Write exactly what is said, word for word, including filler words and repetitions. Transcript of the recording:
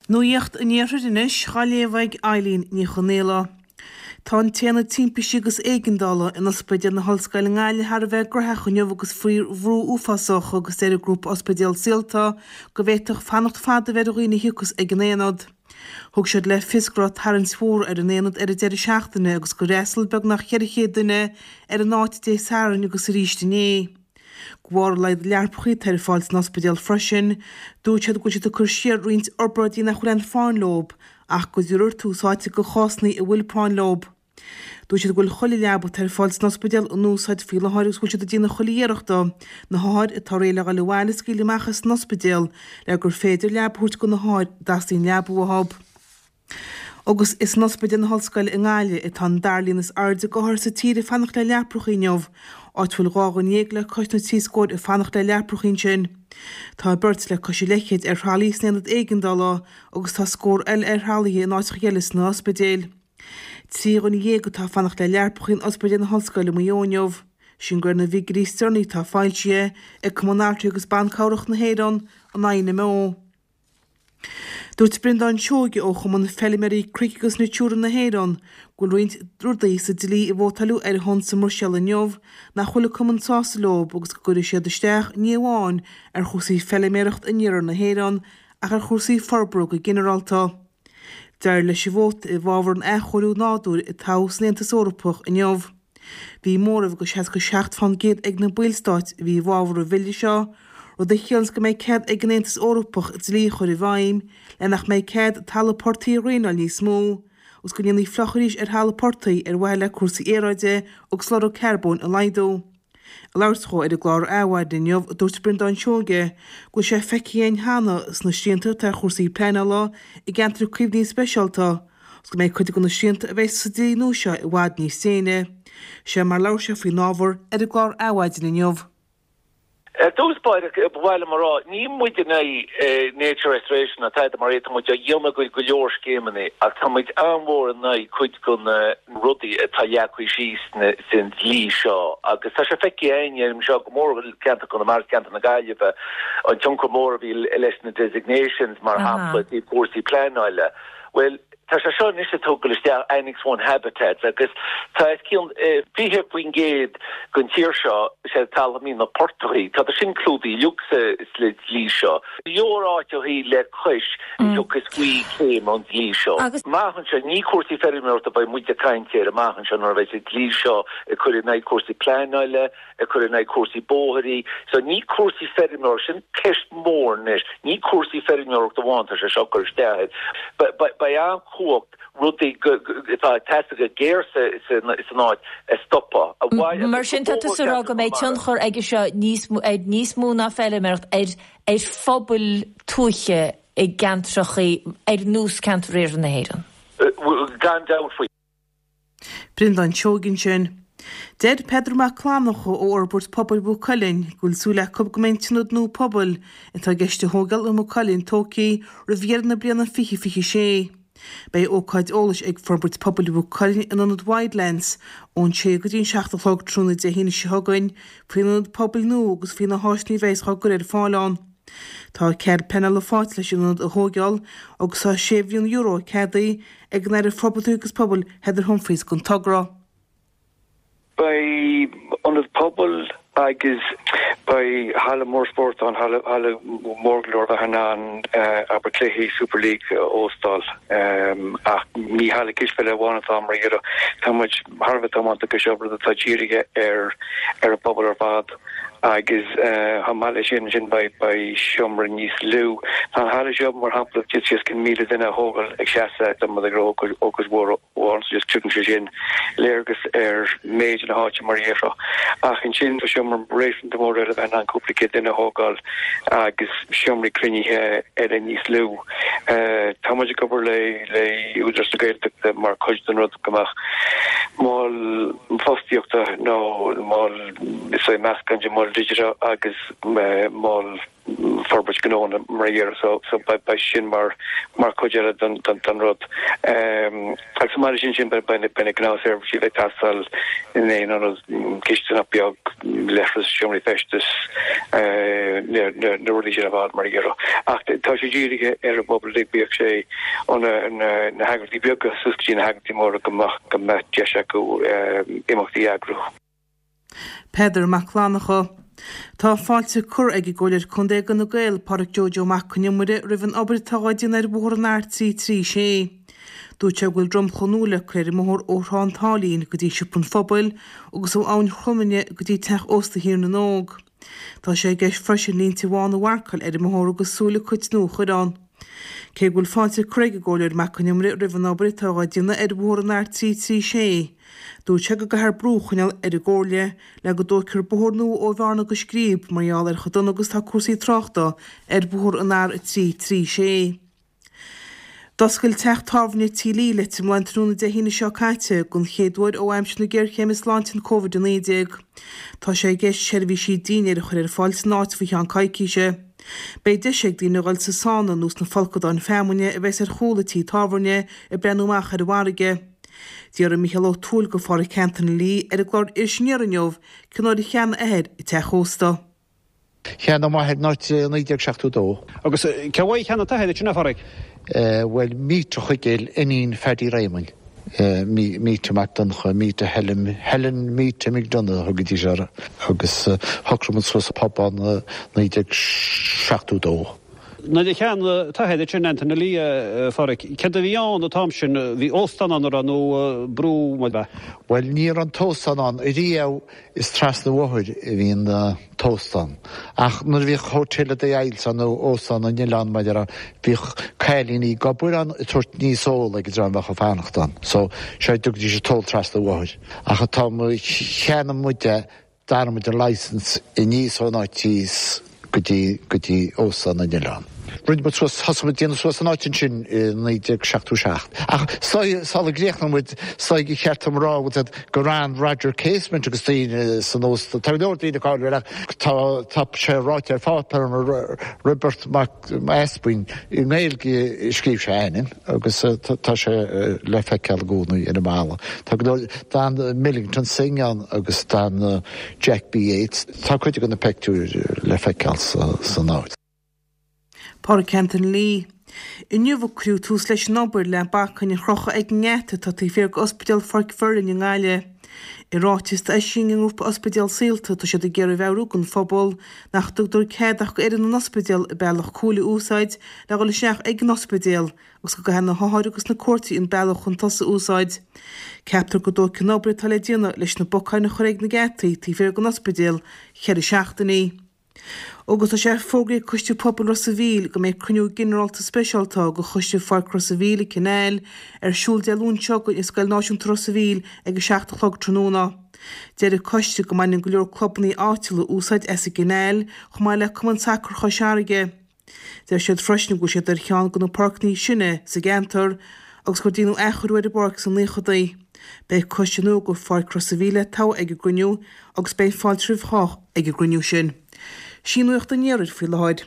Nuacht an Iarthair anois á léamh ag Eileen Ní Chonaola. Tá an t-aonad timpiste agus éigeandála in Ospidéal na hOllscoile i nGaillimh thar a bheith graitheach inniu agus faoi bhrú uafásach agus deir an grúpa Ospidéal Saolta go bhféadfadh fanacht fada a bheith ar dhaoine a thiocfas ag an aonad. Thug siad le fios go raibh tarraingt mhór ar an aonad ar an deireadh seachtaine agus gur fhreastail beagnach ceithre chéad duine ar an áit Dé Sathairn agus arís inné. De bharr a laghad leapacha atá ar fáil san ospidéal freisin, dúirt siad go bhfuil siad ag cur siar roinnt obráidí nach bhfuil aon phráinn leo ach go dtabharfar tús áite do chásanna a bhfuil práinn leo. Dúirt siad go bhfuil chuile leaba atá ar fáil san ospidéal in úsáid faoi láthair agus go bhfuil siad ag déanamh chuile iarracht na hothair atá réidh le dhul abhaile a scaoileadh amach as an ospidéal le gur féidir leaba a thabhairt do na hothair a dteastaíonn leaba uathu. Agus is in Ospidéal na hOllscoile i nGaillimh atá an dara líon is airde d'othair sa tír ag fanacht le leapacha inniu, áit a bhfuil dhá dhuine dhéag le cois na trí scór ag fanacht le leapacha ansin. Tá beirt le cois a leithchéid ar thralaí san aonad éigeandála agus tá scór eile ar thralaithe in áiteacha eile sna hospidéil. Trí dhuine dhéag atá ag fanacht le leapacha in Ospidéal na hOllscoile i Maigh Eo inniu. Sin de réir na bhfigiúirí is deireanaí atá foilsithe ag Cumann Altraí agus Ban Cabhrach na hÉireann, an INMO. Dúirt Breandán Seoige ó Chumann Feilméaraí Cnoic agus Natura na hÉireann go bhfuil roinnt rudaí sa dlí a vótáileadh ar a shon sa mBruiséil inniu nach bhfuil an cumann sásta leo agus go gcuirfidh siad isteach ní amháin ar chúrsaí feilméarachta in iarthar na hÉireann ach ar chúrsaí forbartha go ginearálta. D'éirigh leis an vóta i bhfabhar an athchóiriú nádúir a toghadh san Aontas Eorpach inniu. Bhí móramh de seasca seacht fán gcéad ag na ballstáit a bhí i bhfabhar an bhille seo, rud a chiallaíonns go mbeidh cead ag an Aontas Eorpach dlí a chur i bhfeidhm le nach mbeidh cead talamh portaigh a dhraenáil níos mó agus go ndéanfaí fliuch arís ar thalamh portaigh ar mhaithe le cúrsaí aeráide agus lorg carbóin a laghdú. Ag labhairt dhó ar an gclár Adhmhaidin inniu, dúirt Breandán Seoige go bhfuil sé feicthe againn cheana sna srianta atá ar chúrsaí pleanála i gceantair caomhnaithe speisialta agus go mbeidh cuid de na srianta a bheidh sa dlí nua seo i bhfad níos déine. Seo mar a labhair sé faoin ábhar ar an gclár Adhmhaidin inniu. Ar dtús báire, ba mhaith liom a rá, níl muid in aghaidh nature restoration ná tada mar é, tá muid á dhéanamh go go leor scéimeanna ach tá muid an-mhór in aghaidh cuid de na rudaí atá leagtha síos san dlí seo agus tá sé feicthe againn anseo go mór ceantar Chonamara, ceantar na Gaillimhe, an tionchar mór a bhí leis na designations mar shampla i gcúrsaí pleanála. Bhuel, tá sé seo anois ag tógáil isteach Annex One Habitats agus tá os cionn fiche faoin gcéad den tír seo sé talamh na portaigh, tá sin clúdaithe uilig sa dlí seo. Leor áiteachaí le cois a thiocfas faoi chéim an dlí seo. Amach anseo, ní cúrsaí feirmeoireachta a bheidh muid ag caint air amach anseo nuair a bheidh an dlí seo ag cur in aghaidh cúrsaí pleanála, ag cur in aghaidh cúrsaí bóithrí. So ní cúrsaí feirmeoireachta, sin ceist mhór anois, ní cúrsaí feirmeoireachta amháin tá sé seo ag cur isteach air. Beidh an-chumhacht rudaí atá ag teastáil go géar san áit a stopadh. Mar sin tá tú ag rá go mbeidh tionchar aige seo níos ar níos mó ná feilméaracht ar ar phobail tuaithe i gceantracha ar nós ceantar iarthar na hÉireann. Gan dabht faoi. Breandán Seoige ansin. Deir Peadar Mac Fhlannchadha ó Fhorbairt Pobail Mhaigh Cuilinn go bhfuil súil acu go mbeidh an t-ionad nua pobail atá i gceist a thógáil i Maigh Cuilinn tógtha roimh dheireadh na bliana fiche fiche sé. Beidh ócáid eolais ag Forbairt Pobail Mhaigh Cuilinn in ionad Wildlands ón sé go dtí an seacht a chlog tráthnóna Dé hAoine seo chugainn faoin ionad pobail nua agus faoi na háiseanna a bheas á gcur ar fáil ann. Tá cead pleanála faighte leis an ionad a thógáil agus tá sé mhilliún euro ceadaithe ag an Aire Forbartha agus Pobail Heather Humphreys don togra. Beidh ionad pobail agus beidh halla mór spóirt ann, halla halla mór go leor bheith in ann abair cluichí Super League a óstáil. Ach ní halla cispheile amháin atá mar dhea. Tá muid thar a bheith tiomanta go seo rud atá dírithe ar ar an bpobal ar fad agus chomh maith leis sin ansin beidh beidh seomra níos lú. Tá an halla seo mar shampla d'fhéadfadh os cionn míle duine a thógáil ag seasamh dá mba ag ócáid mhór amháin so just tugann sé sin léargas ar méid na háite mar a déarfá. Ach ansin tá seomra réasúnta mór eile a bheith in ann cúpla céad duine a thógáil agus seomraí cruinnithe eile níos lú. Tá muid ag obair le le Údarás na Gaeltachta mar chuid den rud go mbeadh mol fostaíochta nó mol is é meascán de mol mol digiteach agus mol forbairt gnónna mar a dhéarfá so so beidh sin mar mar chuid eile den den den rud. Um, agus mar sin sin beidh beidh na gnáthsheirbhísí ag teastáil in aon ionad cistineach beag leithreas seomraí feistis uh, na na na rudaí sin ar fad mar a dhéarfá. Ach tá sé dírithe ar an bpobal uilig bíodh sé ó na na na heagraíochtaí beaga suas go dtí na heagraíochtaí móra go mbeadh go mbeadh deis acu um, imeachtaí a eagrú. Peadar Mac Fhlannchadha. Tá fáilte curtha ag an gComhairleoir Contae d'Fhine Gael, Pádraic Joe Joe Mac Con Iomaire, roimh an obair atá á déanamh ar bhóthar an R trí trí sé. Dúirt sé go bhfuil dromchla nua le cur ar an mbóthar ó Thrá an tSáilín go dtí Siopa an Phobail agus ó Abhainn Chromainne go dtí Teach Ósta Thír na nÓg. Tá sé i gceist freisin línte bhána a mharcáil ar an mbóthar agus súile cait nua a chur ann. Cé go bhfuil fáilte curtha ag an gComhairleoir Mac Con Iomaire roimh an obair atá á déanamh ar bhóthar an R trí trí sé, dúirt sé go gcaithfear brú a choinneáil ar an gComhairle le go dtógfar bóthar nua ó Bhearna go Scríb mar gheall ar chomh dona agus tá cúrsaí tráchta ar bhóthar an R trí trí sé. D'oscail teach tábhairne Tí Lee Leitir Mealláin tráthnóna Dé hAoine seo caite den chéad uair ó aimsir na géarchéime sláinte an Covid a naoi déag. Tá sé i gceist seirbhísí dinnéir a chur ar fáil san áit faoi cheann coicíse. Beidh deis ag daoine a dhul sa sána nó sna folcadáin feamainne a bheas ar chúl an tí tábhairne ag breathnú amach ar an bhfarraige. D'fhiafraigh Mícheál Ó Tuathail de Phádraic Anthony Lee ar an gclár Iris Aniar inniu cén uair a cheannaigh a athair an teach ósta. Cheannaigh m'athair an áit i naoi déag seachtó dó. Agus cé uaidh a cheannaigh t'athair é sin, a Phádraic? Bhuel, Míte Chuigéil, iníon Phaddy Réamoinn, Míte Mac Donncha, Míte Helen, Helen Míte McDonagh a thugaidís uirthi, agus shocraigh muid suas pub ann i naoi déag seachtó dó. Nuair a cheannaigh t'athair é sin, Anthony Lee, a Phádraic, céard a bhí ann an t-am sin? Bhí óstán ann, an raibh, nó brú, mar b'ea? Bhuel, ní raibh an t-óstán ann ariamh, is trasna an bhóthair a bhí an t-óstán. Ach nuair a bhíodh Hotel of the Isles ann nó Óstán na nOileán mar a déarfá, bhíodh cailíní ag obair ann ag tabhairt níos óil ag an dream a bheadh ag fanacht ann. So, sea, dtugaidís an t-ól trasna an bhóthair. Ach an t-am a cheannaigh muid é, d'athraigh muid an licence aníos ón áit thíos go dtí, go dtí Óstán na nOileán. Rinne muid suas, thosaigh muid déanamh suas an áit ansin i naoi déag seachtó seacht. Ach sula gcríochnóidh muid, is dóigh gur cheart dom a rá gur fhan Roger Casement agus daoine san óstán, tá go leor daoine cáiliúil ach tá, tá sé ráite ar pháipéar mar Roibeart Mac Easbuinn, i nGaeilge a scríobh sé a ainm agus tá sé le feiceáil i gcónaí ar an mballa. Tá go leor, d'fhan Millington Synge ann agus d'fhan Jack B. Yeats. Tá cuid de na pictiúir le feiceáil san áit. Pádraic Anthony Lee. Inniu a cuireadh tús leis an obair le bacainn a chrochadh ag an ngeata atá taobh thiar d'Ospidéal Pháirc Mhuirinn i nGaillimh. I ráiteas a d'eisigh an ngrúpa Ospidéal Saolta tá siad ag iarraidh a mheabhrú don phobal nach dtugtar cead ach d'fhoireann an ospidéil an bealach cúil a úsáid le dhul isteach ag an ospidéal agus go gcaithfidh na hothair agus na cuairteoirí an bealach chun tosaigh a úsáid. Ceaptar go dtógfaidh an obair atá le déanamh leis na bacáin a chur ag na geataí taobh thiar den ospidéal ceithre seachtainí. Agus tá sé fógraithe ag Coiste Pobail Ros a' Mhíl go mbeidh cruinniú ginearálta speisialta de Choiste Pháirc Ros a' Mhíl, an Canal, ar siúl Dé Luain seo chugainn i Scoil Náisiúnta Ros a' Mhíl ag a seacht a chlog tráthnóna. Deir an coiste go mbaineann go leor clubanna áitiúla úsáid as an gCanal chomh maith le Cumann Sacair Chois Fharraige. Deir siad freisin go bhfuil siad ar cheann de na páirceanna is sine sa gceantar agus gur déanadh athchóiriú ar an bpáirc sna naochadaí. Beidh coiste nua do Pháirc Ros a' Mhíl le toghadh ag an gcruinniú agus beidh fáilte roimh chách ag an gcruinniú sin. Sin nuacht an iarthair faoi láthair.